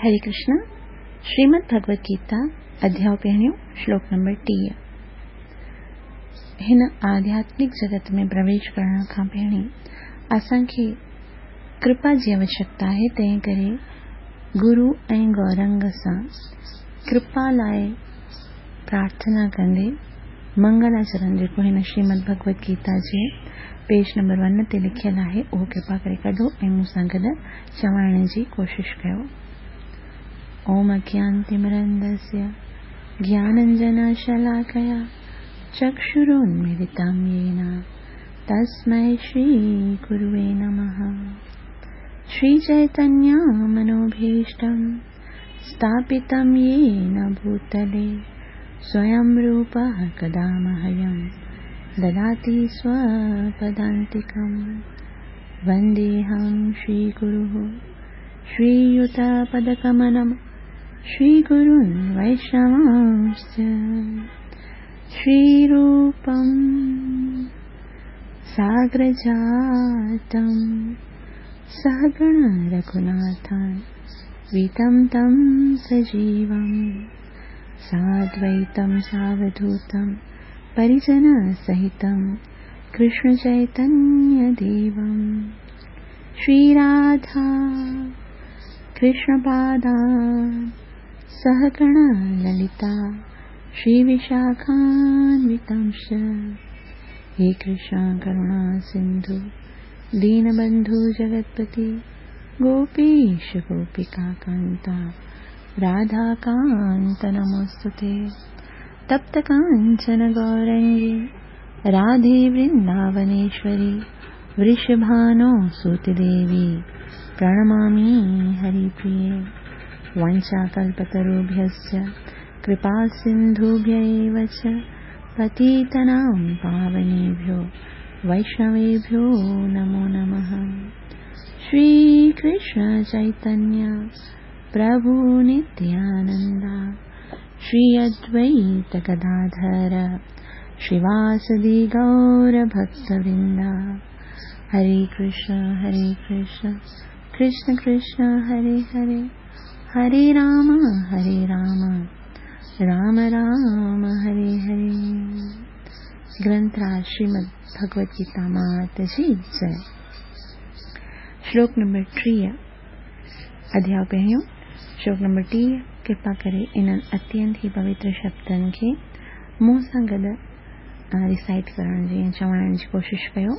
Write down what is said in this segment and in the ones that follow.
هري ڪرشنا، شريمد ڀڳوت گيتا، اڌياء پهريون، شلوڪ نمبر 30. هن آڌياتمڪ جڳت ۾ پرويش ڪرڻ کان پهرين اسان کي ڪرپا جي آوشيڪتا آهي، تنهن ڪري گرو ۽ گورنگ سان ڪرپا لاء پرارٿنا ڪندي منگلاچرن جيڪو هن شريمد ڀڳوت گيتا جي پيج نمبر ون تي لکيل آهي اهو ڪرپا ڪري ڪڍو ۽ مون سان گڏ چوائڻ جي ڪوشش ڪيو. اوم اگيانتمرندسيه گياننجنشلاڪيا چڪشرونميلتم يين تسمي شري گروي نمه. شري چيتنيه منوڀيشٽم स्थापितं येन भूतले स्वयं रूपः कदा मह्यं ददाति स्वपदान्तिकं। वन्देऽहं श्रीगुरुः श्रीयुतपदकमलं श्रीगुरुन् वैष्णवांश्च। श्रीरूपं साग्रजातं सहगण रघुनाथान् वितं तं सजीवं साद्वैतं सावधूतं परिजनसहितं कृष्णचैतन्यदेवं। श्रीराधा कृष्णपादान् सहगण ललिता श्रीविशाखान्वितांश्च। हे कृष्ण करुणा सिन्धु दीनबन्धु जगत्पति गोपीश गोपिकान्ता राधाकान्त नमोऽस्तु ते। तप्तकाञ्चन गौरङ्गी राधे वृन्दावनेश्वरी वृषभानो सुतदेवी प्रणमामि हरिप्रिये। वाञ्छाकल्पतरुभ्यश्च कृपासिन्धुभ्य एव च पतितानां पावनेभ्यो वैष्णवेभ्यो नमो नमः। श्री कृष्ण चैतन्य प्रभु नित्यानंद श्री अद्वैत गदाधर श्रीवासदि गौर भक्तवृंद। हरे कृष्ण कृष्ण कृष्ण हरे हरे, हरे राम राम राम हरे हरे। ग्रंथराज श्रीमद् भगवत गीता मात जी जय। श्लोक नंबर 30, अध्याय पहिरियों, श्लोक नंबर 30। कृपा करे इन्हनि अत्यंत ई पवित्र शब्दनि खे मूं सां गॾु रिसाइट करण जी ऐं चवण जी कोशिश कयो।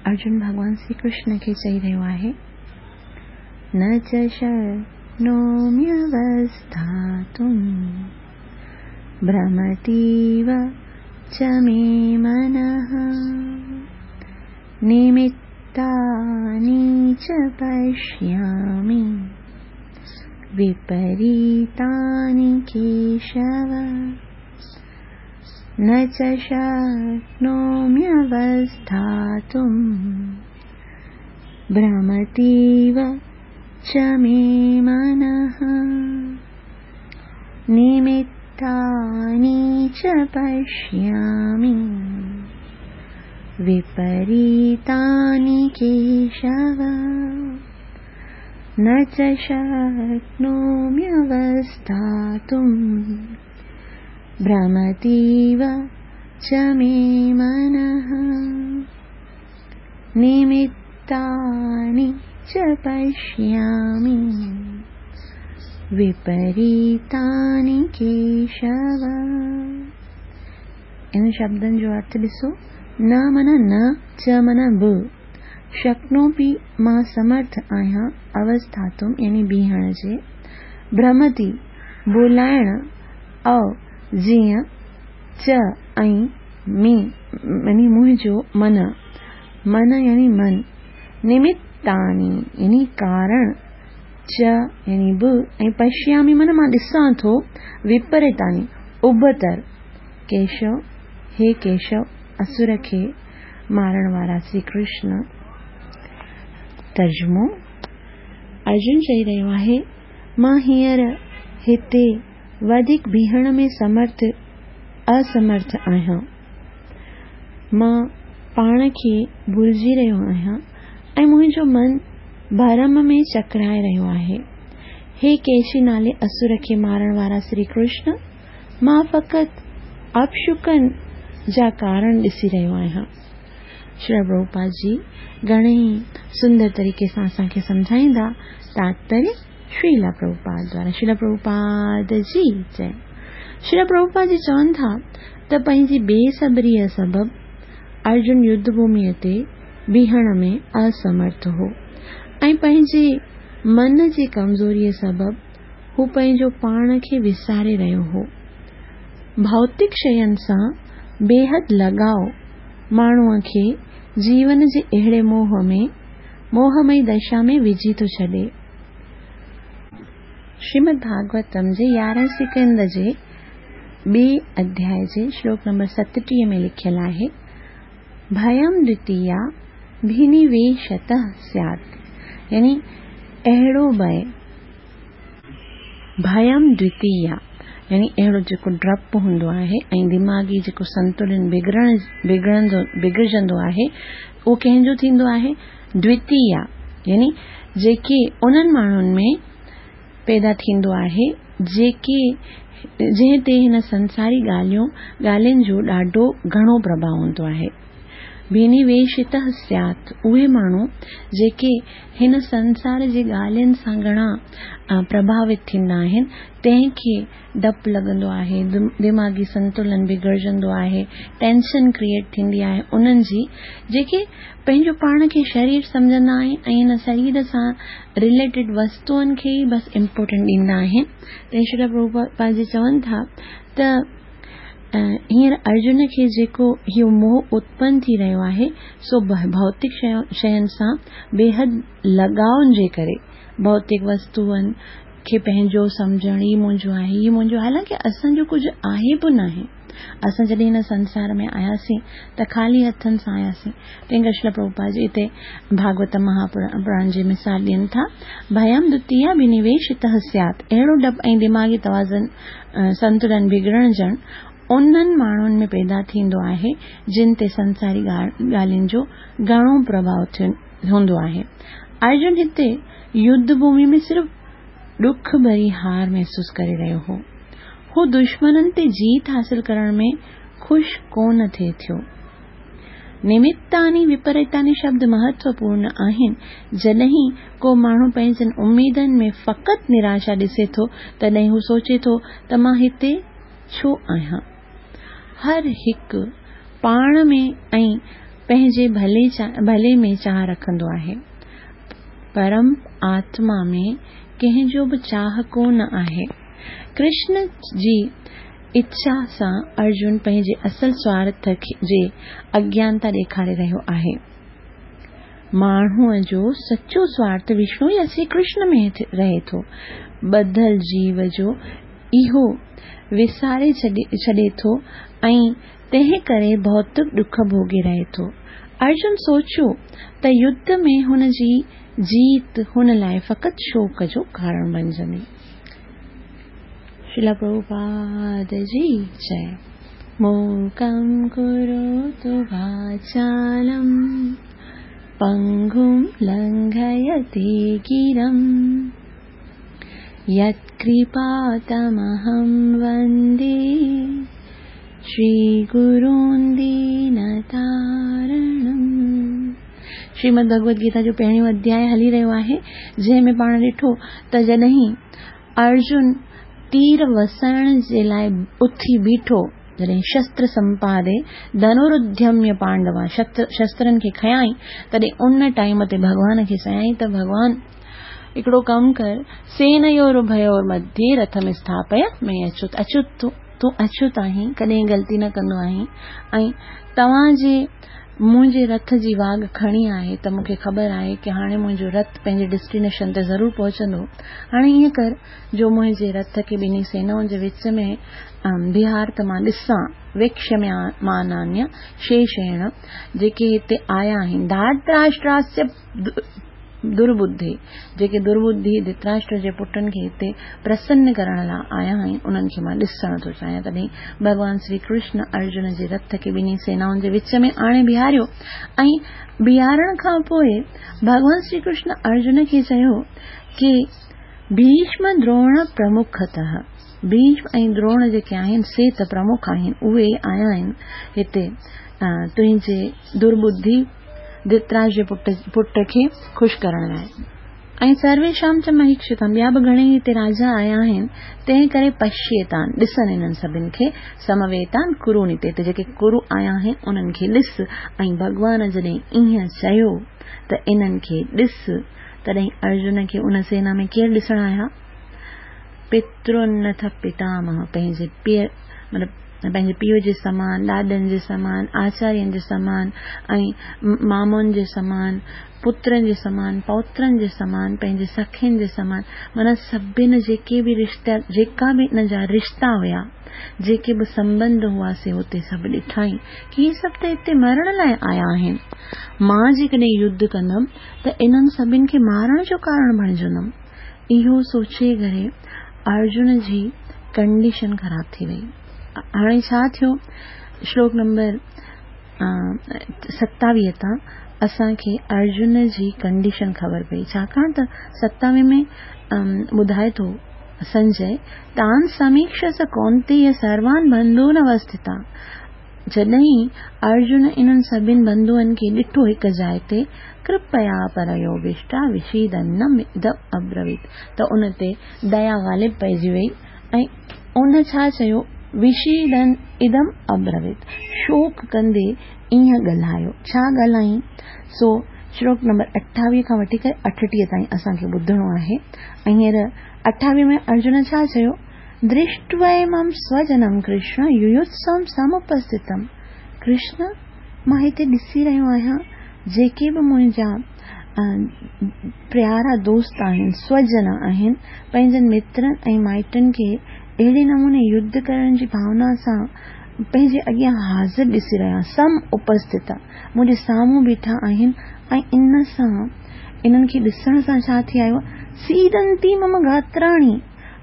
अर्जुन भॻवान श्री कृष्ण खे चई रहियो आहे, न च शक्नोम्यवस्थातुं भ्रमतीव च मे मनः निमित्तानि च पश्यामि विपरीतानि केशव। न च शक्नोम्यवस्थातुं भ्रमतीव च मे मनः निमित्तानि च पश्यामि विपरीतानि केशव। न च शक्नोम्यवस्थातुं भ्रमतीव च मे मनः निमित्तानि च पश्यामि विपरीतानि केशव। इन शब्दनि जो अर्थ ॾिसो, न माना न, च माना ब, शक्नोपि मां समर्थ आहियां, अवस्थातुम यानी बीहण जे, भ्रमति बोलाइण, औ जीअं, च ऐं मे यानी मुंहिंजो, मन मन यानी मन, निमित्तानि यानी कारण, च यानी ब ऐं पश्यामि माना मां ॾिसां थो, विपरीतानि उबतर, केशव हे केशव असुर खे मारण वारा श्री कृष्ण। तर्जुमो, अर्जुन चई रहियो आहे, मां हींअर हिते वधीक बीहण में समर्थ असमर्थ आहियां, मां पाण खे भुलिजी रहियो आहियां ऐं मुंहिंजो मन भरम में चकराए रहियो आहे। هي ڪيشي نالي اسر کي مارڻ وارا شري ڪرشن، مان فقط اپشڪن جا ڪارڻ ڏسي رهيو آهيان. شريلا پرڀوپاد جي گهڻي ئي سندر طريقي سان اسان کي سمجهائيندا. تاتپريه شريلا پرڀوپاد دوارا. شريلا پرڀوپاد جي جئي. شريلا پرڀوپاد جي چون ٿا ته پنهنجي بي صبريء سبب ارجن يڌ ڀوميء تي بيهڻ ۾ اسمرٿ هو ۽ پنهنجي من جي ڪمزوريء سبب هو پنهنجو پاڻ کي وساري رهيو هو. ڀوتڪ شين سان بيحد لڳاء ماڻهوء کي جيون جي اهڙي موهه ۾ موهمئي دشا ۾ وجهي ٿو ڇڏي. شريمد ڀاڳوتم جي يارهين سڪنڌ جي ٻئي اڌياء جي شلوڪ نمبر 37 ۾ لکيل آهي، ڀيم دوتيا ڀينيويشتः سيات يعني اهڙو ڀئه، ڀيم دوتيا يعني اهڙو جيڪو ڊپ هوندو آهي ۽ دماغي جيڪو سنتولن بگڙڻ بگڙندو بگڙجندو آهي اهو ڪنهن جو ٿيندو آهي؟ دوتيا يعني جيڪي انهن ماڻهن ۾ پيدا ٿيندو آهي جيڪي جنهن تي هن سنساري ڳالهيون ڳالهين جو ڏاڍو گهڻو پرڀاء هوندو آهي. ڀينيويشتः سيات اهي ماڻهو جيڪي هن سنسار جي ڳالهين سان گهڻا پرڀاوت ٿيندا آهن تنهن کي ڊپ لڳندو آهي، دماغي سنتولن بگڙجندو آهي، ٽينشن ڪريئيٽ ٿيندي آهي انهن جي جيڪي پنهنجو پاڻ کي شرير سمجهندا آهن ۽ هن شرير سان رليٽيڊ وستوئن کي ئي بس امپورٽنٽ ڏيندا آهن. تنهن شريلا پرڀوپاد جي چون ٿا ته هينئر ارجن کي جيڪو اهو موهه اتپن ٿي رهيو آهي سو ڀوتڪ شين سان بيحد لڳاء جي ڪري ڀوتڪ وستوئن کي پنهنجو سمجهڻ، هي منهنجو آهي، هي منهنجو آهي، حالانڪه اسان جو ڪجهه آهي به ناهي. اسان جڏهن هن سنسار ۾ آياسين ته خالي هٿن سان آياسين. تنهن ڪري شريلا پرڀوپاد جي هتي ڀاڳوت مهاپراڻ جي مثال ڏين ٿا، ڀيم دوتيا ڀينيويشتः سيات، اهڙو ڊپ ۽ دماغي توازن، سنتلن، بگڙجڻ انهن ماڻهن ۾ پيدا ٿيندو آهي، جن تي سنساري ڳالهين جو گهڻو پرڀاء هوندو آهي. ارجن هتي يڌ ڀومي ۾ صرف ڏک ڀري هار محسوس ڪري رهيو هو. هو دشمنن تي جيت حاصل ڪرڻ ۾ خوش ڪونه ٿي ٿيو. نمتاني وپريتاني شبد مهتوپورن آهن. جڏهن ڪو ماڻهو پنهنجن اميدن ۾ فقط نراشا ڏسي ٿو، تڏهن هو سوچي ٿو ته مان هتي ڇو آهيان؟ هر هڪ پاڻ ۾ ۽ پنهنجي ڀلي ۾ چاهه رکندو آهي. پرم آتما ۾ ڪنهن جو به چاهه ڪو نه آهي. ڪرشن جي اڇا سان ارجن پنهنجي اصل سوارٿ جي اگيانتا ڏيکاري رهيو آهي. ماڻهوء جو سچو سوارٿ وشنو يا شري ڪرشن ۾ رهي ٿو. ٻڌل جيو جو اهو وساري ڇڏي ٿو ۽ تنهن ڪري ڀوتڪ ڏک ڀوڳي رهي ٿو. ارجن سوچيو ته يڌ ۾ هن جي جيت هن لاء فقط شوڪ جو ڪارڻ بنجندي. شريلا پرڀوپاد جي جئي. موڪم ڪروتو واچالم پنگم لنگهيتي گرم. يتڪرپا تمهم وندي شري گرون دينتارڻم. شريمد ڀڳوت گيتا جو پهريون اڌياء هلي رهيو آهي، جنهن ۾ پاڻ ڏٺو ته جڏهن ارجن تير وسائڻ جي لاء اٿي بيٺو، جڏهن شستر سمپادي ڌنرڌيميه پانڊوا شسترن کي کنيائين، تڏهن ان ٽائيم تي ڀڳوان کي چيائين ته ڀڳوان! هڪڙو ڪم ڪر، سينيورڀيور مڌيي رٿم اسٿاپي مي اچوت، اچوت تون اچوت آهين، ڪڏهن غلطي نه ڪندو آهين ۽ توهان جي منهنجي رٿ جي واڳ کڻي آهي ته مون کي خبر آهي ڪه هاڻي منهنجو رٿ پنهنجي ڊسٽينيشن تي ضرور پهچندو. هاڻي ائين ڪر جو منهنجي رٿ کي ٻنهي سينائن جي وچ ۾ بيهار ته مان ڏسان، ويڪشمانانيه شيشيڻ، جيڪي هتي آيا آهن، ڌارتراشٽراسيه درٻڌي، جيڪي درٻڌي ڌتراشٽر جي پٽن کي هتي پرسن ڪرڻ لاء آيا آهن، انهن کي مان ڏسڻ ٿو چاهيان. تڏهن ڀڳوان شري ڪرشن ارجن جي رٿ کي ٻنهي سينائن جي وچ ۾ آڻي بيهاريو ۽ بيهارڻ کان پوء ڀڳوان شري ڪرشن ارجن کي چيو ڪي. ڀيشم دروڻ پرمکتः، ڀيشم ۽ دروڻ جيڪي آهن سي ته پرمک آهن، اهي آيا آهن هتي تنهنجي درٻڌي ڌرتراشٽر جي پٽ کي خوش ڪرڻ لاء. ۽ سرويشام چ مهيڪشتام، ٻيا به گهڻيئي هتي راجا آيا آهن، تنهن ڪري پشيتان، ڏسن انهن سڀن کي، سمويتان ڪرون هتي هتي جيڪي ڪرو آيا آهن انهن کي ڏس، ۽ ڀڳوان جڏهن ائين چيو ته انهن کي ڏس، تڏهن ارجن کي ان سينا ۾ ڪير ڏسڻ آيا؟ پترنٿ پتامهه، پنهنجي پيء مطلب پنهنجي پيء جي سمان، ڏاڏن جي سمان، آچارين جي سمان ۽ مامن جي سمان، پترن جي سمان، پوترن جي سمان، پنهنجي سکين جي سمان، معنيٰ سڀن جيڪي به رشتا جيڪا به ان جا رشتا هيا، جيڪي به سنٻنڌ هئا سي هتي سڀ ڏٺائين ڪي هي سڀ ته هتي مرڻ لاء آيا آهن. مان جيڪڏهن يڌ ڪندم ته انهن سڀن کي مارڻ جو ڪارڻ بڻجندم. اهو سوچي ڪري ارجن جي ڪنڊيشن خراب ٿي وئي. هاڻي ڇا ٿيو؟ شلوڪ نمبر 27 تان اسان کي ارجن جي ڪنڊيشن خبر پئي، ڇاڪاڻ ته 27 ۾ ٻڌائي ٿو سنجي، تان سميڪش س ڪونتيي سروان بنڌون اوسٿتان. جڏهن ارجن انهن سڀن بنڌوئن کي ڏٺو هڪ جاء تي، ڪرپيا پريوڀشٽا وشيدنم ادم ابرويت، ته ان تي ديا غالب پئجي وئي ۽ ان ڇا چيو، وشيدن ادم ابرويت، شوڪ ڪندي ائين ڳالهايو. ڇا ڳالهايائين؟ سو شلوڪ نمبر 28 کان وٺي ڪري 38 تائين اسان کي ٻڌڻو آهي. ۽ هينئر 28 ۾ ارجن ڇا چيو؟ درشٽوائمم سوجنم ڪرشن يويوتسم سمپسٿتم، ڪرشن مان هتي ڏسي رهيو آهيان جيڪي به منهنجا پيارا دوست آهن، سوجن آهن، پنهنجن مترن ۽ مائٽن کي اهڙي نموني يڌ ڪرڻ جي ڀاونا سان پنهنجي اڳيان حاضر ڏسي رهيو آهيان، سم اپسٿتا، منهنجي سامهون بيٺا آهن ۽ ان سان انهن کي ڏسڻ سان ڇا ٿي آيو آهي، سيدنتي مم گاتراڻي،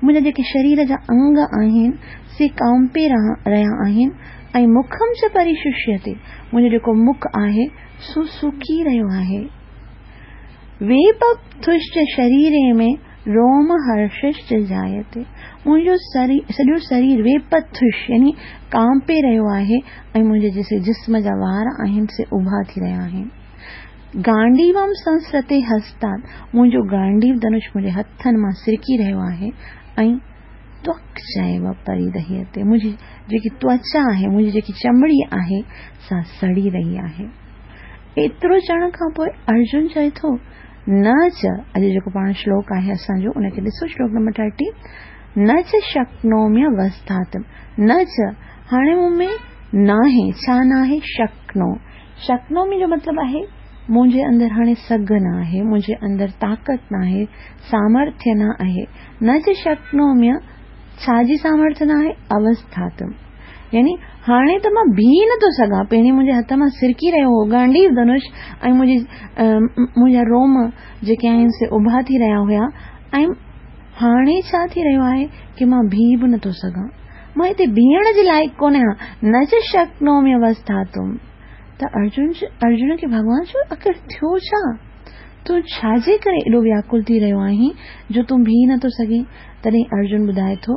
منهنجا جيڪي شرير جا انگ آهن سي ڪانپي رهيا آهن ۽ مکم چ پريششيتي، منهنجو جيڪو مک آهي سو سڪي رهيو آهي. ويپپٿشچ شريري ۾ روم هرششچ جايتي، منهنجو سڄو شرير ويپپٿش يعني ڪانپي رهيو آهي ۽ منهنجي جيڪي جسم جا وار آهن سي اڀا ٿي رهيا آهن. گانڊيوم سنسرتي هستات، منهنجو گانڊيو ڌنش منهنجي هٿن مان سرڪي رهيو آهي ۽ توڪ چيو پريدهيتي، منهنجي جيڪي توچا آهي، منهنجي جيڪي چمڙي آهي، سا سڙي رهي آهي. ايترو چوڻ کان پوء ارجن چئي ٿو، نه چ، اڄ جيڪو پاڻ شلوڪ آهي اسان جو، ان کي ڏسو شلوڪ نمبر 30، نه چ شڪنومي وسٿاتم، نه چ، هاڻي مون ۾ ناهي، ڇا ناهي؟ شڪنو، شڪنومي جو مطلب آهي منهنجي اندر هاڻي سگهه نه آهي، منهنجي اندر طاقت نه آهي، سامرٿيه نه آهي. نه چ شڪنومي ڇا جي سامرٿيه نه آهي؟ اوسٿاتم. يعني هاڻي ته مان بيهي نه ٿو سگهان، پهرين منهنجي هٿ مان سرڪي رهيو هو گانڊيو ڌنش ۽ منهنجي منهنجا روم جيڪي آهن سي اڀا ٿي رهيا هيا ۽ هاڻي ڇا ٿي رهيو آهي ڪي مان بيهي به نه ٿو سگهان. مان هتي بيهڻ جي لائق ڪونه آهيان، نه چ شڪنومي اوسٿاتم. ته ارجن ارجن کي ڀڳوان چيو، آخر ٿيو ڇا؟ تون ڇا جي ڪري ايڏو وياڪل ٿي رهيو آهين جو تون بيهي نه ٿو سگهين؟ تڏهن ارجن ٻڌائي ٿو،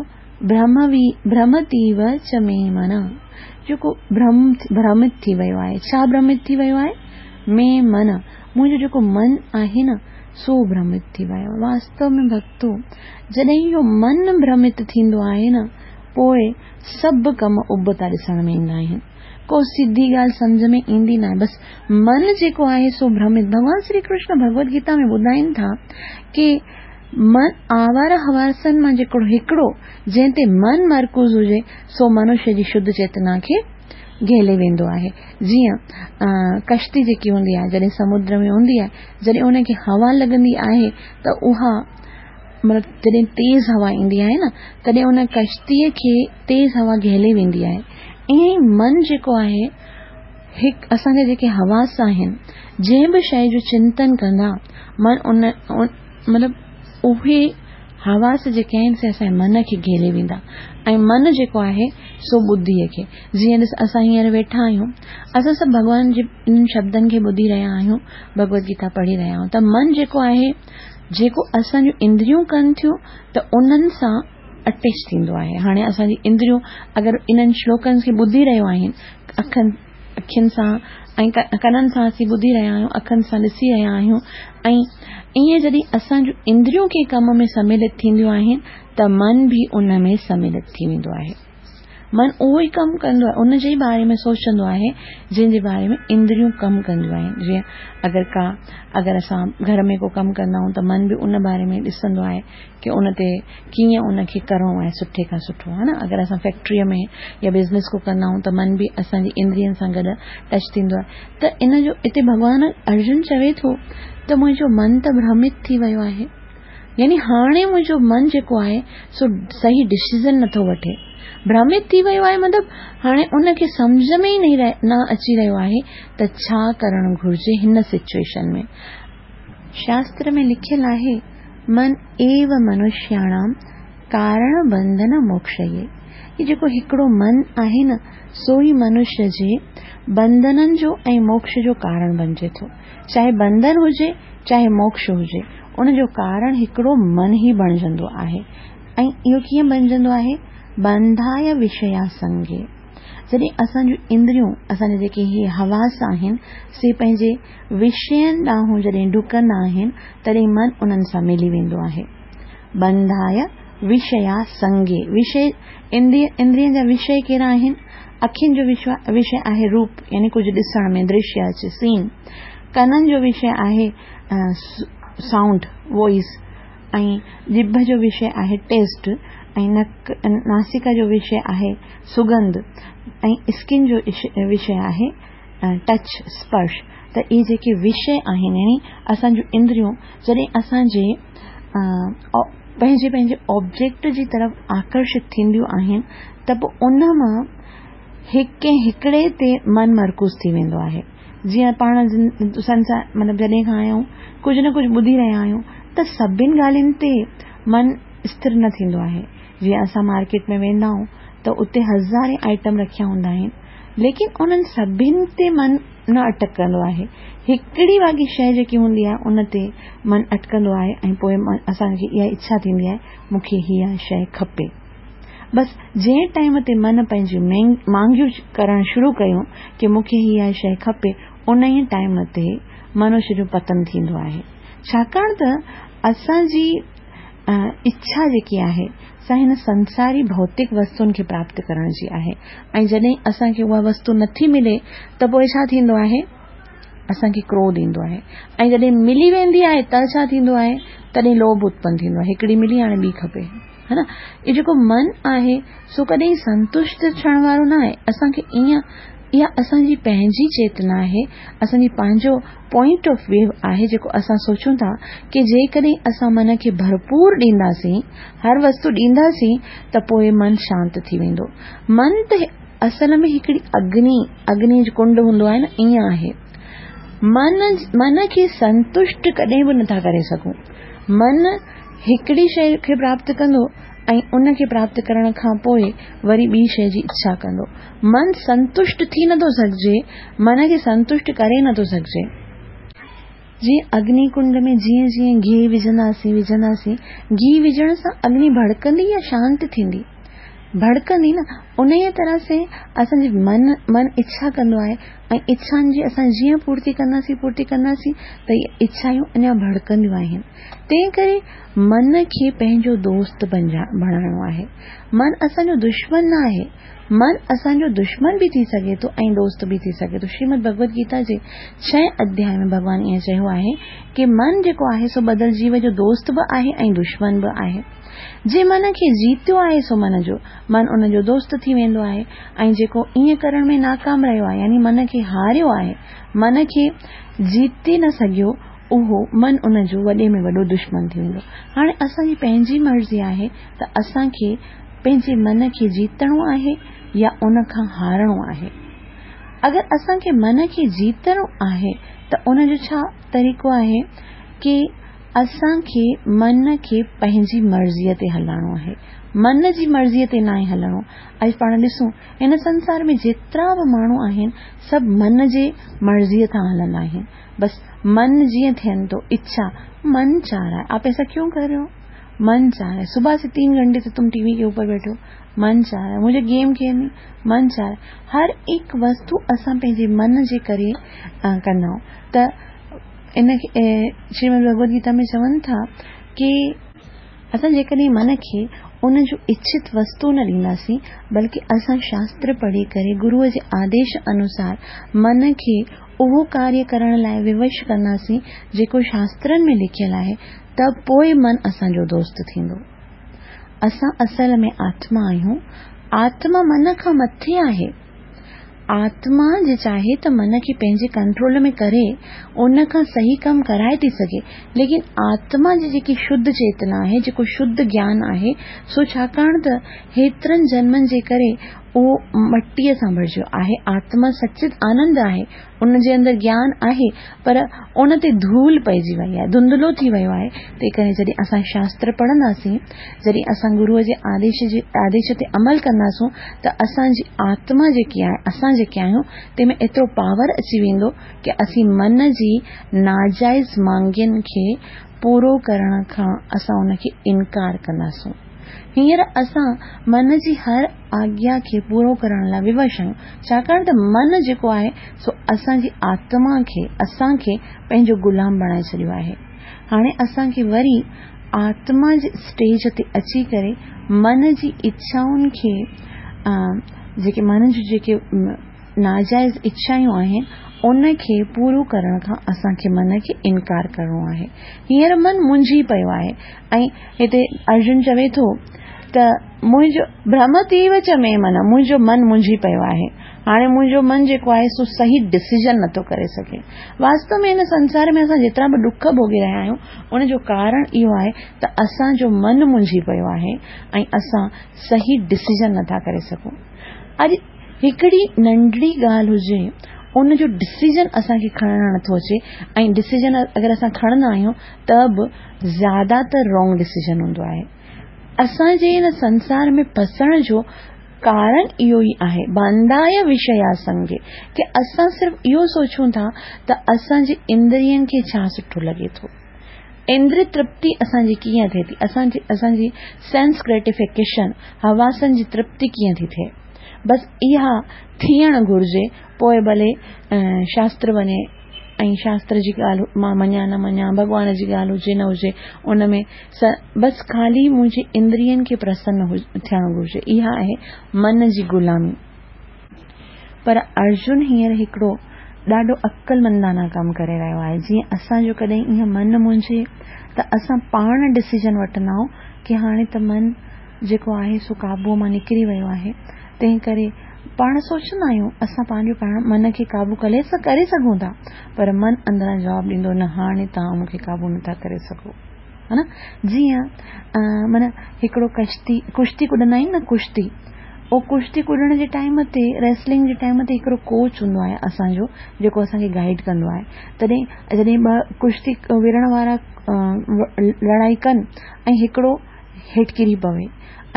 ڀرموي ڀرمتيو چ مي من، جيڪو ڀرم ڀرمت ٿي ويو آهي. ڇا ڀرمت ٿي ويو آهي؟ مي من، منهنجو جيڪو من آهي نه، سو ڀرمت ٿي ويو. واستو ۾ ڀڳتو، جڏهن اهو من ڀرمت ٿيندو آهي نه، پوء سڀ ڪم ابتا ڏسڻ ۾ ايندا آهن. ڪو سڌي ڳالهه سمجهه ۾ ايندي ناهي. بس من جيڪو آهي سو ڀرمت. ڀڳوان شري ڪرشن ڀڳوت گيتا ۾ ٻڌائين ٿا ڪي من آواره حواسن مان جيڪو هڪڙو جنهن تي من مرڪوز هجي سو منشيه جي شڌ چيتنا کي گهيلي ويندو آهي. جيئن ڪشتي جيڪي هوندي آهي جڏهن سمنڊ ۾ هوندي آهي جڏهن ان کي هوا لڳندي آهي ته اها مطلب جڏهن تيز هوا ايندي آهي نه تڏهن ان ڪشتيء کي تيز هوا گهيلي ويندي آهي. ائين ئي من جيڪو آهي هڪ اسان جا جيڪي حواس آهن جنهن به شيء جو چنتن ڪندا من ان مطلب اهي حواس جيڪي آهن سي اسان جي من کي گهيلي ويندا ۽ من جيڪو آهي سو ٻڌيء کي. جيئن ڏس اسان هينئر ويٺا آهيون اسان سڀ ڀڳوان جي انهن شبدن کي ٻڌي رهيا آهيون ڀڳوت گيتا پڙهي رهيا آهيون ته من جيڪو آهي. جيڪو اسان جون اندريون ڪن ٿيون ته انهن سان اٽيچ ٿيندو آهي. هاڻي اسان جي اندريون اگر انهن شلوڪن کي ٻڌي رهيون آهن، اکن اکين سان ۽ ڪنن سان اسين ٻڌي رهيا آهيون، اکن سان ڏسي رهيا آهيون ۽ ائين جڏهن اسان جون اندريون ڪنهن ڪم ۾ سملت ٿينديون آهن ته من به ان ۾ سملت ٿي ويندو آهي. من اهو ئي ڪم ڪندو آهي، ان جي ئي باري ۾ سوچندو آهي جنهن جي باري ۾ اندريون ڪم ڪنديون آهن. جيئن اگر ڪا اگر اسان گهر ۾ ڪو ڪم ڪندا آهيون ته من به ان باري ۾ ڏسندو آهي ڪي ان تي ڪيئن ان کي ڪرڻو آهي سٺي کان سٺو ها نه اگر اسان فيڪٽريء ۾ يا بزنس ڪو ڪندا آهيون ته من به اسان جي اندرين سان گڏ ٽچ ٿيندو آهي ته ان جو اتي ڀڳوان ارجن چوي ٿو ته منهنجو من ته ڀرمت ٿي ويو آهي يعني هاڻي منهنجو من جيڪو آهي سو صحيح ڊسيزن نٿو وٺي. ڀرمت ٿي ويو آهي مطلب هاڻي ان کي سمجهه ۾ ئي نه اچي رهيو آهي ته ڇا ڪرڻ گهرجي هن سچوئيشن ۾. شاستر ۾ لکيل آهي من ايو منشياڻام ڪارڻ بنڌن موڪشيه هي جيڪو هڪڙو من آهي نه سو ئي منشي جي بنڌنن جو ۽ موڪش جو ڪارڻ بنجي ٿو. چاهي بنڌن هجي چاهي موڪش هجي ان جو ڪارڻ هڪڙو من ئي بڻجندو آهي ۽ اهو ڪيئن بڻجندو آهي؟ بنڌاء وشيا سنگي جڏهن اسان جون اندريون اسان جا جيڪي هي حواس آهن سي پنهنجي وشين ڏانهن جڏهن ڊڪندا آهن تڏهن من انهن سان ملي ويندو آهي. بنڌاء وشيا سنگي وشي اندرين جا وشي ڪهڙا آهن؟ اکين جو وشي آهي روپ يعني ڪجهه ڏسڻ ۾ درشيه اچي سين ڪنن جو وشي آهي سائونڊ وائس ۽ ڄڀ جو وشي آهي ٽيسٽ ۽ نڪ ناسڪا جو وشي آهي سڳنڌ ۽ اسڪن جو وشي آهي ٽچ اسپرش ته اهي جيڪي وشي آهن يعني اسان جون اندريون جڏهن اسان جي پنهنجي پنهنجي آبجيڪٽ جي طرف آڪرشت ٿينديون آهن ته پوء ان مان هڪ هڪڙي تي من مرڪوز ٿي ويندو آهي جيئن پاڻ سنسار مطلب جڏهن کان آيا آهيون ڪجهه نه ڪجهه ٻڌي رهيا آهيون ته سڀن ڳالهين تي من اسٿر نه ٿيندو آهي جيئن اسان مارڪيٽ ۾ ويندا آهيون ته اتي هزارين آئٽم رکيا هوندا آهن ليڪن انهن سڀن تي من نه اٽڪندو آهي. هڪڙي واڳي شيء جيڪي هوندي آهي ان تي من اٽڪندو آهي ۽ پوء اسان کي اها اڇا ٿيندي آهي مون کي هيء شيء کپي. بس جنهن ٽائيم تي من پنهنجون مانگيون ڪرڻ شروع ڪيون ڪي مون کي هيء شيء کپي انهيء ٽائيم تي منش جو پتن ٿيندو آهي. ڇاڪاڻ ته اسان جي اڇا جيڪي آهي سا هن سنساري ڀوتڪ وستن کي پراپت ڪرڻ جي آهي ۽ جڏهن اسان کي اها وستو نٿي ملي ته پوء ڇا ٿيندو آهي؟ اسان کي ڪروڌ ايندو آهي ۽ جڏهن ملي ويندي آهي ته ڇا ٿيندو آهي؟ تڏهن لوڀ اتپن ٿيندو آهي هڪڙي ملي هاڻي ٻي کپي ها نه اهو جيڪو من آهي سو ڪڏهن سنتشٽ ٿيڻ وارو نه آهي اسان کي ائين اها اسان جي پنهنجي چيتنا آهي اسان جي پنهنجو پوائنٽ آف ويو آهي جيڪو اسان سوچون ٿا ڪي جيڪڏهن اسان من کي ڀرپور ڏينداسين، هر وستو ڏينداسين ته پوء من شانت ٿي ويندو. من ته اصل ۾ هڪڙي اگني، اگني جو ڪنڊ هوندو آهي نه ائين آهي. من من کي سنتشٽ ڪڏهن به نٿا ڪري سگهون. من هڪڙي شيء کي پراپت ڪندو ۽ ان کي پراپت ڪرڻ کان پوء وري ٻي شيء جي اڇا ڪندو. من سنتشٽ ٿي نٿو سگهجي، من کي سنتشٽ ڪري نٿو سگهجي. جيئن اگني ڪنڊ ۾ جيئن جيئن گيهه وجهنداسين وجهنداسين، گيهه وجهڻ سان اگني ڀڙڪندي يا شانت ٿيندي؟ ڀڙڪندي نه. انهيء طرح سين اسان جي من من اڇا ڪندو آهي ۽ اڇائن جي اسان جيئن پورتي ڪنداسين پورتي ڪنداسين ته اهي اڇائون اڃا ڀڙڪنديون آهن. تنهن ڪري من کي پنهنجو دوست بڻائڻو آهي. من اسان جو دشمن نه آهي. من اسان جو دشمن به ٿي سگهي ٿو ۽ دوست به ٿي سگهي ٿو. شريمد ڀڳوت گيتا جي ڇهين اڌياء ۾ ڀڳوان ائين چيو آهي ڪي من جيڪو آهي سو ٻڌل جيو جو دوست به آهي ۽ دشمن به آهي. جنهن من کي جيتيو آهي سو من جو من ان جو دوست ٿي ويندو آهي ۽ جيڪو ائين ڪرڻ ۾ ناڪام رهيو آهي يعني من کي هاريو آهي، من کي جيتي نه سگهيو اهو من ان جو وڏي ۾ وڏو دشمن ٿي ويندو. هاڻي اسان جي پنهنجي مرضي آهي ته اسان کي پنهنجي من کي جيتڻو آهي يا ان کان هارڻو آهي. اگر اسان کي من کي جيتڻو آهي ته ان جو ڇا طريقو آهي ڪي اسان کي من کي پنهنجي مرضيء تي هلائڻو آهي. من جي مرضيء تي ناهي هلڻو. اڄ پاڻ ڏسون هن سنسار ۾ جيترا به ماڻهو آهن سڀ من جي مرضيء تان هلندا آهن. بس من جيئن ٿين ٿو اڇا من چاهه رها هي آپ ايسا ڪيون ڪر رهي هو من چاهه رها هي صبح سي تين گهنٽي سي تم ٽي وي ڪي اوپر بيٺي هو من چاهه رها هي مجهي گيم کيلني من چاهه رها هي هر هڪ وستو اسان پنهنجي من جي ڪري ڪندا آهيون ته ان کي شريمد ڀڳوت گيتا ۾ چون ٿا ڪي اسان جيڪڏهن من کي ان جو اڇت وستو نه ڏينداسين بلڪه اسان شاستر پڙهي ڪري گروء جي آديش انوسار من کي اهو ڪاريه ڪرڻ لاء ووش ڪنداسين جيڪو شاسترن ۾ لکيل آهي ته پوء من اسان جو دوست ٿيندو. اسان اصل ۾ آتما آهيون. آتما من کان مٿي آهي. آتما جي چاهي ته من کي پنهنجي ڪنٽرول ۾ ڪري ان کان صحيح ڪم ڪرائي ٿي سگهي ليڪن آتما جي جيڪي شڌ چيتنا آهي جيڪو شڌ گيان آهي سو ڇاڪاڻ ته هيترن جنمن جي ڪري اهو مٽيء سان ڀرجيو آهي آتما سچت آنند آهي ان جي اندر گيان آهي پر ان تي ڌول پئجي وئي آهي، ڌنڌلو ٿي ويو آهي، تنهن ڪري جڏهن اسان شاستر پڙهنداسين، جڏهن اسان گروء جي آديش جي آديش تي عمل ڪنداسون ته اسان جي آتما جيڪي آهي، اسان جيڪي آهيون، تنهن ۾ ايترو پاور اچي ويندو ڪي اسين من جي ناجائز مانگين کي پورو ڪرڻ کان اسان ان کي انڪار ڪنداسون. هينئر اسان من جي هر آگيا کي پورو ڪرڻ لاء ووش آهيون، ڇاڪاڻ ته من جيڪو آهي سو اسان جي آتما کي، اسان کي، پنهنجو غلام بڻائي ڇڏيو آهي. هاڻي اسان کي وري آتما جي اسٽيج تي اچي ڪري من جي اڇائن کي، جيڪي من جون جيڪي ناجائز اڇائون آهن، ان کي پورو ڪرڻ کان اسان کي من کي انڪار ڪرڻو آهي. هينئر من منجهي پيو آهي ۽ هتي ارجن چوي ٿو ته منهنجو ڀرمتيو چ مي من، منهنجو من منجهي پيو آهي. هاڻي منهنجو من جيڪو آهي سو صحيح ڊسيزن نٿو ڪري سگهي. واستو ۾ هن سنسار ۾ اسان جيترا به ڏک ڀوڳي رهيا آهيون، ان جو ڪارڻ اهو آهي ته اسان جو من منجهي پيو آهي ۽ اسان صحيح ڊسيزن نٿا ڪري سگهون. اڄ هڪڙي ننڍڙي ڳالهه هجي ان جو ڊسيزن اسان کي کڻڻ نٿو اچي ۽ ڊسيزن اگر اسان کڻندا آهيون ته به زياده تر رانگ ڊسيزن هوندو آهي. اسان جي هن سنسار ۾ ڦسڻ جو ڪارڻ اهو ئي آهي بانڌايه وشيا سنگي ڪي اسان صرف اهو سوچون ٿا ته اسان جي اندرين کي ڇا سٺو لڳي ٿو. اندري ترپتي اسان جي ڪيئن ٿئي ٿي، اسان جي اسان جي سينس گريٽيفڪيشن، حواسن جي ترپتي ڪيئن ٿي ٿئي. بس اها ٿيڻ گهرجي پوء ڀلي شاستر وڃي ۽ شاستر جي ڳالهه مان مڃان نه مڃان، ڀڳوان جي ڳالهه هجي نه هجي ان ۾ بس خالي منهنجي اندرين کي پرسن ٿيڻ گهرجي. اها آهي من جي غلامي. پر ارجن هينئر هڪڙو ڏاڍو عقلمندانه ڪم ڪري رهيو آهي. جيئن اسان جو ڪڏهن ائين من منجهي ته اسان پاڻ ڊسيزن وٺندا آهيون ڪي هاڻي ته من جيڪو آهي سو قابوء مان نڪري ويو آهي تنهن ڪري پاڻ سوچندا آهيون اسان پنهنجو پاڻ من کي قابو ڪري سگهون ٿا پر من اندران جواب ڏيندو نه هاڻي توهان مون کي قابو نٿا ڪري سگهو ها نه جيئن معنيٰ هڪڙو ڪشتي ڪشتي ڪڏندا آهيون نه ڪشتي او ڪشتي ڪڏڻ جي ٽائيم تي ريسلنگ جي ٽائيم تي هڪڙو ڪوچ هوندو آهي اسان جو جيڪو اسان کي گائيڊ ڪندو آهي تڏهن جڏهن ٻه ڪشتي وڙهڻ وارا لڙائي ڪن ۽ هڪڙو هيٺ ڪري پوي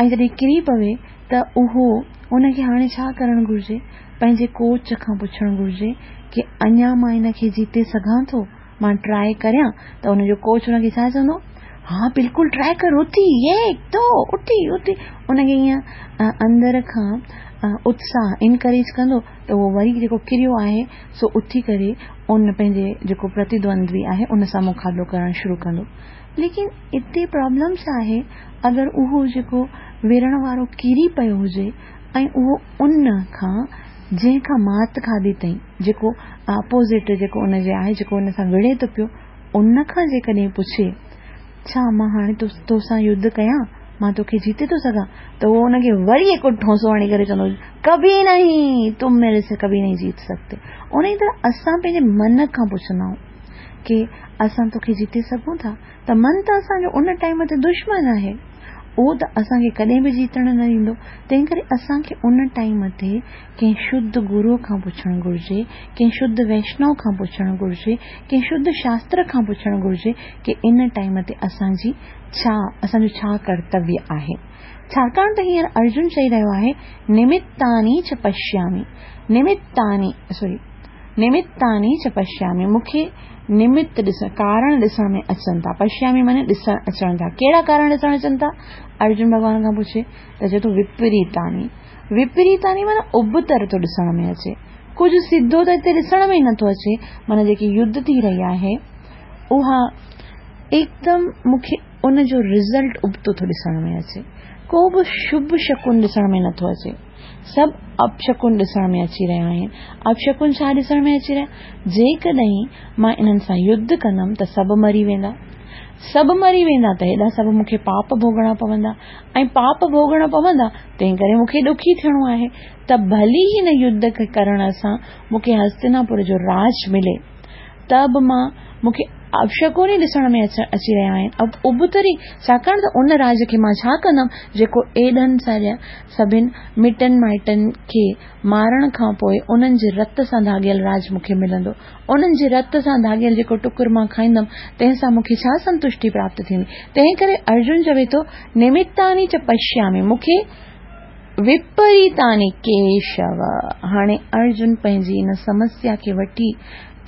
۽ جڏهن ڪري پوي ته اهو ان کي هاڻي ڇا ڪرڻ گهرجي پنهنجي ڪوچ کان پڇڻ گهرجي ڪي اڃا مان ان کي جيتي سگهان ٿو مان ٽرائي ڪريان ته ان جو ڪوچ ان کي ڇا چوندو ها بلڪل ٽرائي ڪر اٿي ايڪ دو اٿي اٿي ان کي ائين اندر کان اتساهه انڪريج ڪندو ته اهو وري جيڪو ڪريو آهي سو اٿي ڪري ان پنهنجي جيڪو پرتيدوندوي آهي ان سان مقابلو ڪرڻ شروع ڪندو ليڪن اتي پرابلم ڇا آهي اگر اهو جيڪو وڙهڻ وارو ڪري پيو هجي ۽ اهو ان کان جنهن کان مات کاڌي اٿئي جيڪو اپوزٽ جيڪو ان جي آهي جيڪو ان سان وڙهي ٿو پيو ان کان جيڪڏهن پڇي ڇا مان هاڻي تو سان يڌ ڪيان مان توکي جيتي ٿو سگهان ته اهو ان کي وري هڪ ٺونسو هڻي ڪري چوندو ڪڀي نهين تم ميري سي ڪڀي نهين جيت سڪتي ان ئي طرح اسان پنهنجي من کان پڇندا آهيون ڪي اسان توکي جيتي سگهون ٿا ته من ته اسان جو ان ٽائيم تي دشمن آهي. اهو ته اسان کي ڪڏهن به جيتڻ نه ڏيندو. تنهن ڪري اسان کي ان ٽائيم تي ڪنهن شڌ گروء کان پڇڻ گهرجي، ڪنهن شڌ ويشنو کان پڇڻ گهرجي، ڪنهن شڌ شاستر کان پڇڻ گهرجي ڪي ان ٽائيم تي اسان جي ڇا، اسان جو ڇا ڪرتويه آهي. ڇاڪاڻ ته هينئر ارجن چئي رهيو آهي، نمتاني چ پشيامي، نمتاني، سوري، نمتاني چ پشيامي، مون کي نمت ڏسڻ، ڪارڻ ڏسڻ ۾ اچن ٿا. پشيامي معني ڏسڻ اچڻ ٿا. ڪهڙا ڪارڻ ڏسڻ اچن ٿا؟ ارجن ڀڳوان کان پڇي ته چئي ٿو وپريتاني. وپريتاني معني ابتر ٿو ڏسڻ ۾ اچي. ڪجهه سڌو ته هتي ڏسڻ ۾ ئي نٿو اچي. معني جيڪي يڌ ٿي رهي آهي اها هڪدم مون کي ان جو رزلٽ ابتو ٿو ڏسڻ ۾ اچي. ڪو به شڀ شڪن ڏسڻ ۾ نٿو اچي. سڀ اپشڪن ڏسڻ ۾ اچي رهيا آهن. اپشڪن ڇا ڏسڻ ۾ اچي رهيا؟ جيڪڏهن مان انهن سان يڌ ڪندم ته سڀ مري ويندا. سڀ مري ويندا ته هيڏا سڀ مون کي پاپ ڀوڳڻا پوندا ۽ پاپ ڀوڳڻا پوندا تنهن ڪري مون کي ڏکي ٿيڻو آهي ته ڀلي هن يڌ کي ڪرڻ سان مون کي هستناپور جو راڄ ملي ته به مان مون کي اپشڪن ئي ڏسڻ ۾ اچي رهيا آهن ابتر ئي ڇاڪاڻ ته ان راڄ کي مان ڇا ڪندم جيڪو ايڏن سارين سڀن مٽن مائٽن کي مارڻ کان پوء انهن جي رت سان ڌاڳيل راڄ مون کي ملندو. انهن جي رت سان ڌاڳيل جيڪو ٽڪر مان کائيندم تنهن سان مون کي ڇا سنتشٽي پراپت ٿيندي. تنهن ڪري ارجن چوي ٿو نمتاني چ پشيامي مون کي وپريتاني ڪيشو. هاڻي ارجن پنهنجي ان سمسيا کي وٺي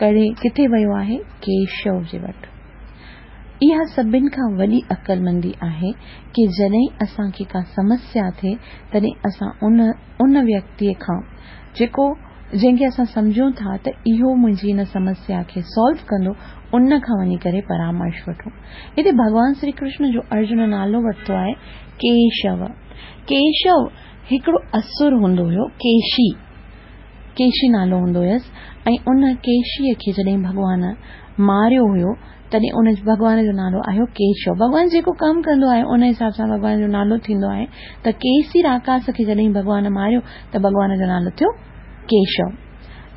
ڪري ڪٿي ويو آهي؟ ڪيشو جي وٽ. اها سڀن کان وڏي عقلمندي آهي ڪي جڏهن اسان کي ڪا سمسيا ٿئي تڏهن اسان ان ان ويڪتيء کان جيڪو جنهن کي اسان سمجهون ٿا ته اهو منهنجي ان سمسيا کي سالو ڪندو ان کان وڃي ڪري پرامرش وٺون. هتي ڀڳوان سري ڪرشن جو ارجن نالو ورتو آهي ڪيشو. ڪيشو هڪڙو اسر هوندو هيو ڪيشي. ڪيشي نالو هوندو هيس ۽ ان ڪيشيء کي جڏهن ڀڳوان ماريو هيو تڏهن ان ڀڳوان جو نالو آيو ڪيشو. ڀڳوان جيڪو ڪم ڪندو آهي ان حساب سان ڀڳوان جو نالو ٿيندو آهي ته ڪيسي راڪاس کي جڏهن ڀڳوان ماريو ته ڀڳوان جو نالو ٿيو ڪيشو.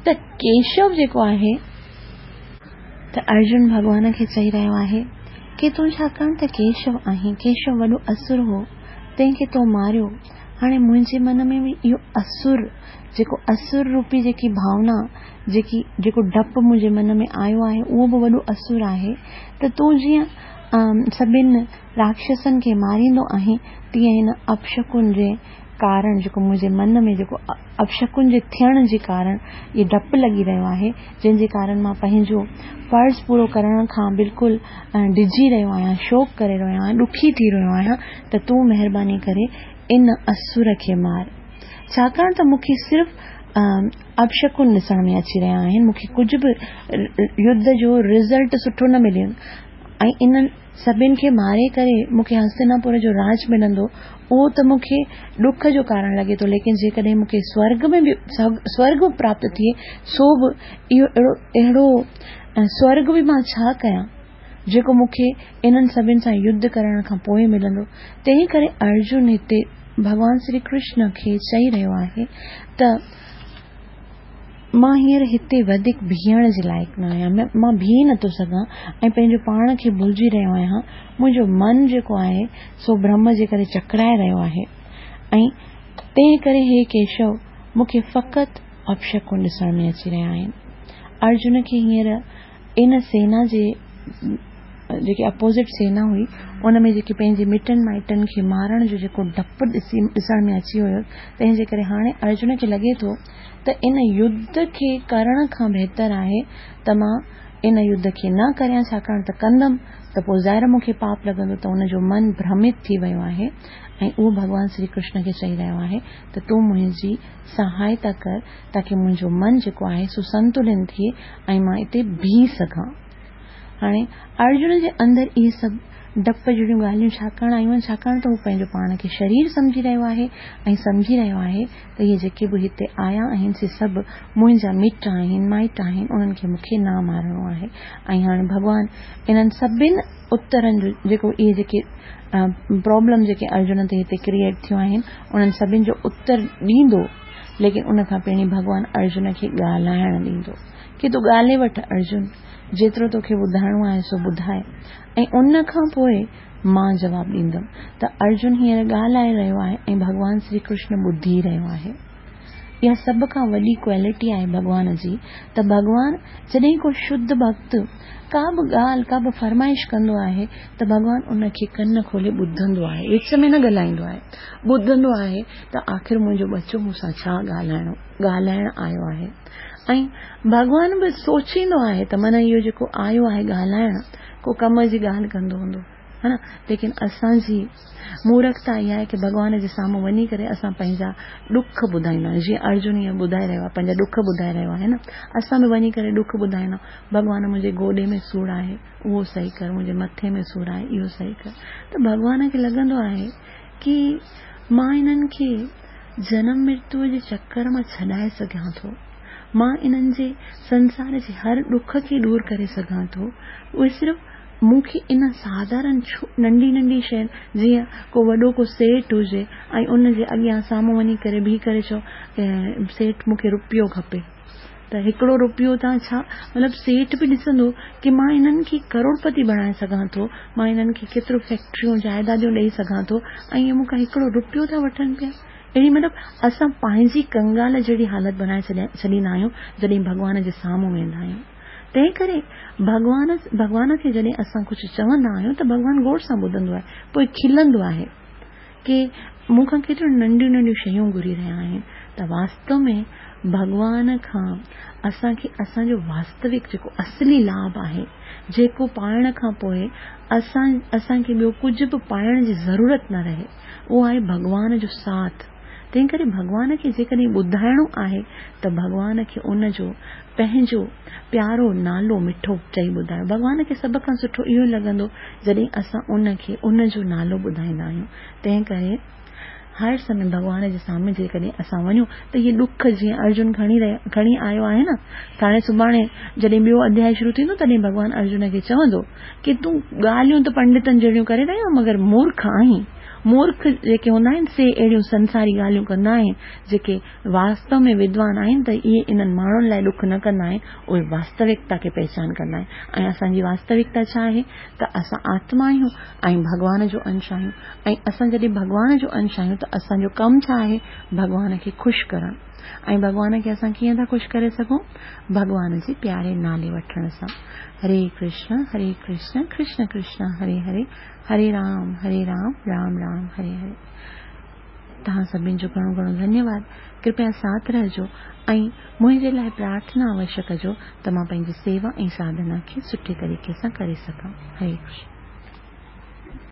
ته ڪيشو جيڪو آهي ته ارجن ڀڳوان کي چئي رهيو آهي ڪي تون ڇاڪاڻ ته ڪيشو آهين، ڪيشو وڏو اسر هو تنهن کي تو ماريو، هاڻي منهنجي من ۾ به اهو اسر جيڪو اسر روپي جيڪي ڀاونا، جيڪي جيڪو ڊپ منهنجي من ۾ آيو آهي اهو به وڏو اسر آهي ته تون جيئن سڀن راڪشسن کي ماريندو آهين تيئن هن اپشڪن جي ڪارڻ جيڪو منهنجي من ۾ جيڪو اپشڪن جي ٿيڻ جي ڪارڻ اهو ڊپ لڳي رهيو آهي جنهن جي ڪارڻ مان پنهنجو فرض پورو ڪرڻ کان بلڪل ڊڄي رهيو آهيان شوڪ ڪري رهيو آهيان ڏکي ٿي رهيو آهيان ته تون مهرباني ڪري ان اسر کي مار ڇاڪاڻ ته مون کي صرف اپشڪن ڏسڻ ۾ اچي رهيا آهن مون کي ڪجهه به يڌ جو رزلٽ سٺو نه مليو ۽ انهن سڀن کي ماري ڪري مون کي هستناپور جو راڄ ملندو اهو ته مون کي ڏک جو ڪارڻ لڳي ٿو ليڪن جيڪڏهن مون کي سورڳ ۾ به سورڳ به پراپت ٿئي سو به اهو اهڙو اهڙو سورڳ به مان ڇا ڪيان جيڪو مون کي انهن سڀن سان يڌ ڪرڻ کان پوء ملندو. تنهن ڪري ارجن هتي ڀڳوان سري ڪرشن کي چئي رهيو آهي ته مان هينئر هتي وڌيڪ بيهڻ جي لائق نه آهيان، مان بيهي نٿو سگهان ۽ پنهنجو پاڻ کي ڀلجي رهيو آهيان، منهنجو من جيڪو آهي سو ڀرم جي ڪري چڪرائي رهيو آهي ۽ تنهن ڪري هي ڪيشو مون کي فقط اپشڪن ڏسڻ ۾ اچي رهيا آهن. ارجن کي هينئر ان سينا جي جيڪي اپوزٽ سينا هئي ان ۾ جيڪي پنهنجي مٽن مائٽن کي مارڻ جو جيڪو ڊپ ڏسي ڏسڻ ۾ اچي ويو تنهن جي ڪري هاڻي ارجن کي لڳي ٿو ته ان يڌ کي ڪرڻ کان بهتر آهي ته مان ان يڌ کي نه ڪريان ڇاڪاڻ ته ڪندم ته پوء ظاهر مون کي پاپ لڳندو ته ان جو من ڀرمت ٿي ويو آهي ۽ اهو ڀڳوان سري ڪرشن کي چئي رهيو آهي ته تون منهنجي سهائتا ڪر تاڪه منهنجو من جيڪو آهي سو سنتلن ٿئي ۽ مان اتي بيهي سگهان. هاڻي ارجن جي اندر اهي سڀ ڊپ جهڙيون ڳالهيون ڇاڪاڻ آيون آهن؟ ڇاڪاڻ ته هو پنهنجو پاڻ کي شرير سمجهي رهيو آهي ۽ سمجهي رهيو آهي ته اهي جيڪي به هتي آيا آهن سي سڀ منهنجا مٽ آهن، مائٽ آهن، انهن کي مون کي نه مارڻو آهي ۽ هاڻي ڀڳوان انهن سڀن اترن جو جيڪو اهي جيڪي پرابلم جيڪي ارجن تي هتي ڪريئيٽ ٿيون آهن انهن سڀن جو اتر ڏيندو ليڪن ان کان پهرين ڀڳوان ارجن کي ڳالهائڻ ڏيندو. ڪي تون ڳالهي وٺ ارجن، جيترو توکي ٻڌائڻو آهي سو ٻڌاء ۽ ان کان پوء مان جواب ڏيندم. ته ارجن هينئر ڳالهائي رهيو آهي ۽ ڀڳوان شري ڪرشن ٻڌي رهيو آهي. اها سڀ کان وڏي ڪوالٽي آهي ڀڳوان جي ته ڀڳوان جڏهن ڪو شڌ ڀڳت ڪا به ڳالهه، ڪا به فرمائش ڪندو آهي ته ڀڳوان ان کي ڪن کولي ٻڌندو آهي، وچ ۾ نه ڳالهائيندو آهي، ٻڌندو آهي ته آخر منهنجو ٻچو مون سان ڇا ڳالهائڻو، ڳالهائڻ آيو آهي. ۽ ڀڳوان به سوچيندو آهي ته من اهو جيڪو آيو آهي ڳالهائڻ، ڪو ڪم جي ڳالهه ڪندو هوندو. ها نه ليڪن اسان جي مورکتا اها آهي ڪي ڀڳوان جي سامهون وڃي ڪري اسان پنهنجا ڏک ٻڌائيندا آهيون جيئن ارجن هيئن ٻڌائي رهيو آهي پنهنجا ڏک ٻڌائي رهيو آهي نه اسان به وڃي ڪري ڏک ٻڌائيندا ڀڳوان منهنجي گوڏي ۾ سور آهي اهو صحيح ڪر منهنجي مٿي ۾ سور آهي اهو صحيح ڪر ته ڀڳوان کي لڳندو آهي ڪي مان انهن کي جنم مرتيو جي چڪر مان ڇڏائي سگهان ٿو مان انهن جي سنسار جي هر ڏک کي دور ڪري سگهان ٿو اهي صرف مون کي ان ساڌارن ننڍي ننڍي شين جيئن ڪو وڏو ڪو سيٺ هجي ۽ ان جي اڳيان سامهون وڃي ڪري بيهي ڪري چئو سيٺ مون کي روپيو کپي ته هڪڙو روپيو تان ڇا مطلب سيٺ به ڏسندو ڪي مان انهن کي ڪروڙپتي بڻائي سگهان ٿو مان انهن کي ڪيترو فيڪٽريون جائداديون ڏئي سگهان ٿو ۽ اهي مون کان هڪڙو روپيو ٿا وٺن پيا اهڙي مطلب اسان پنهنجي ڪنگال جهڙي حالت بڻائي ڇڏيندا آهيون جڏهن ڀڳوان جي سامهون ويندا آهيون تنهن ڪري ڀڳوان ڀڳوان کي جڏهن اسان ڪجهه چوندا آهيون ته ڀڳوان غور سان ٻڌندو آهي پوء کلندو آهي ڪي مون کان ڪيتريون ننڍيون ننڍيون شيون گهري رهيا آهن ته واستو ۾ ڀڳوان کان اسان کي اسان جو واستوڪ جيڪو اصلي لاڀ آهي جيڪو پائڻ کان پوء اسان اسان کي ٻيو ڪجهه به پائڻ جي ضرورت نه رهي اهو آهي ڀڳوان جو ساٿ تنهن ڪري ڀڳوان کي جيڪڏهن ٻڌائڻو آهي ته ڀڳوان کي ان جو پنهنجو پيارو نالو مٺو چئي ٻڌايو. ڀڳوان کي سڀ کان سٺو اهو لڳندو جڏهن اسان ان کي ان جو نالو ٻڌائيندا آهيون. تنهن ڪري هر سمي ڀڳوان جي سامهون جيڪڏهن اسان وڃون ته اهي ڏک جيئن ارجن کڻي رهيا کڻي آيو آهي نه ته هاڻي سڀاڻي جڏهن ٻيو اڌيائي شروع ٿيندو تڏهن ڀڳوان ارجن کي چوندو ڪي تون ڳالهيون ته پنڊتن جهڙيون ڪري رهيو آهين مگر مورک آهين. مورک جيڪي هوندا آهن سي اهڙيون سنساري ڳالهيون ڪندا آهن جيڪي واستو ۾ ودوان آهن ته اهي انهن ماڻهن لاء ڏک نه ڪندا آهن اهي واستوڪتا کي پهچان ڪندا آهن ۽ اسان جي واستوڪتا ڇا آهي ته اسان آتما آهيون ۽ ڀڳوان جو انش آهيون ۽ اسان جڏهن ڀڳوان جو انش آهيون ته اسان جو ڪم ڇا آهي ڀڳوان کي خوش ڪرڻ ۽ ڀڳوان کي اسان ڪيئن ٿا خوش ڪري سگهون ڀڳوان جي پياري نالي وٺڻ سان هري ڪرشن هري ڪرشن ڪرشن ڪرشن هري هري هري رام هري رام رام رام هري هري توهان سڀني جو گهڻو گهڻو ڌنيواد ڪرپيا ساٿ رهجو ۽ منهنجي لاء پرارٿنا اوشيه ڪجو ته مان پنهنجي سيوا ۽ ساڌنا کي سٺي طريقي سان ڪري سگهان هري ڪرشن.